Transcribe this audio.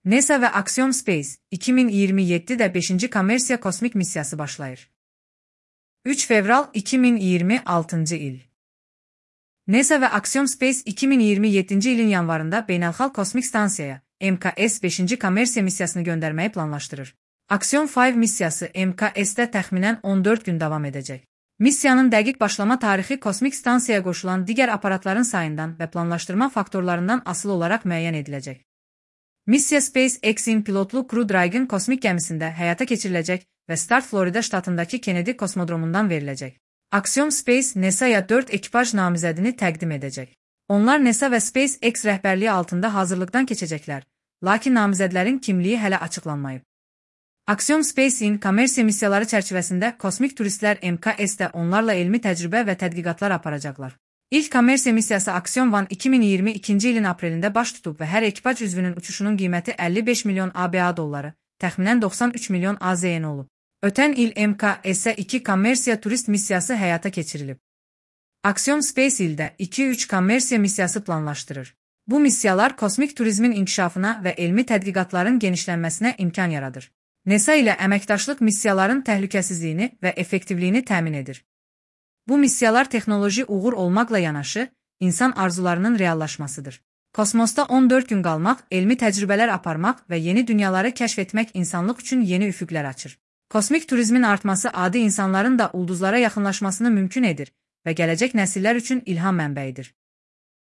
NASA ve Axiom Space, 2027'de 5. Kommersiya kosmik missiyası başlayır. 3 fevral 2026 il. NASA ve Axiom Space 2027 ilin yanvarında Beynəlxalq Kosmik Stansiyaya, MKS 5. Kommersiya missiyasını göndermeyi planlaştırır. Axiom 5 missiyası MKS-də təxminən 14 gün davam edəcək. Missiyanın dəqiq başlama tarixi kosmik stansiyaya qoşulan digər aparatların sayından və planlaşdırma faktorlarından asılı olaraq müəyyən ediləcək. Missiya SpaceX-in pilotlu Crew Dragon kosmik gəmisində həyata keçiriləcək və start Florida ştatındakı Kennedy kosmodromundan veriləcək. Axiom Space NASA-ya 4 ekipaj namizədini təqdim edəcək. Onlar NASA və SpaceX rəhbərliyi altında hazırlıqdan keçəcəklər, lakin namizədlərin kimliyi hələ açıqlanmayıb. Axiom Space-in kommersiya missiyaları çərçivəsində kosmik turistlər MKS-də onlarla elmi təcrübə və tədqiqatlar aparacaqlar. İlk kommersiya missiyası Axiom 1 2022-ci ilin aprelində baş tutub və hər ekipaj üzvünün uçuşunun qiyməti 55 milyon ABA dolları, təxminən 93 milyon AZN olub. Ötən il MKS-ə 2 kommersiya turist missiyası həyata keçirilib. Axiom Space ildə 2-3 kommersiya missiyası planlaşdırır. Bu missiyalar kosmik turizmin inkişafına və elmi tədqiqatların genişlənməsinə imkan yaradır. NASA ilə əməkdaşlıq missiyaların təhlükəsizliyini və effektivliyini təmin edir. Bu missiyalar texnoloji uğur olmaqla yanaşı, insan arzularının reallaşmasıdır. Kosmosda 14 gün qalmaq, elmi təcrübələr aparmaq və yeni dünyaları kəşf etmək insanlıq üçün yeni üfüqlər açır. Kosmik turizmin artması adi insanların da ulduzlara yaxınlaşmasını mümkün edir və gələcək nəsillər üçün ilham mənbəyidir.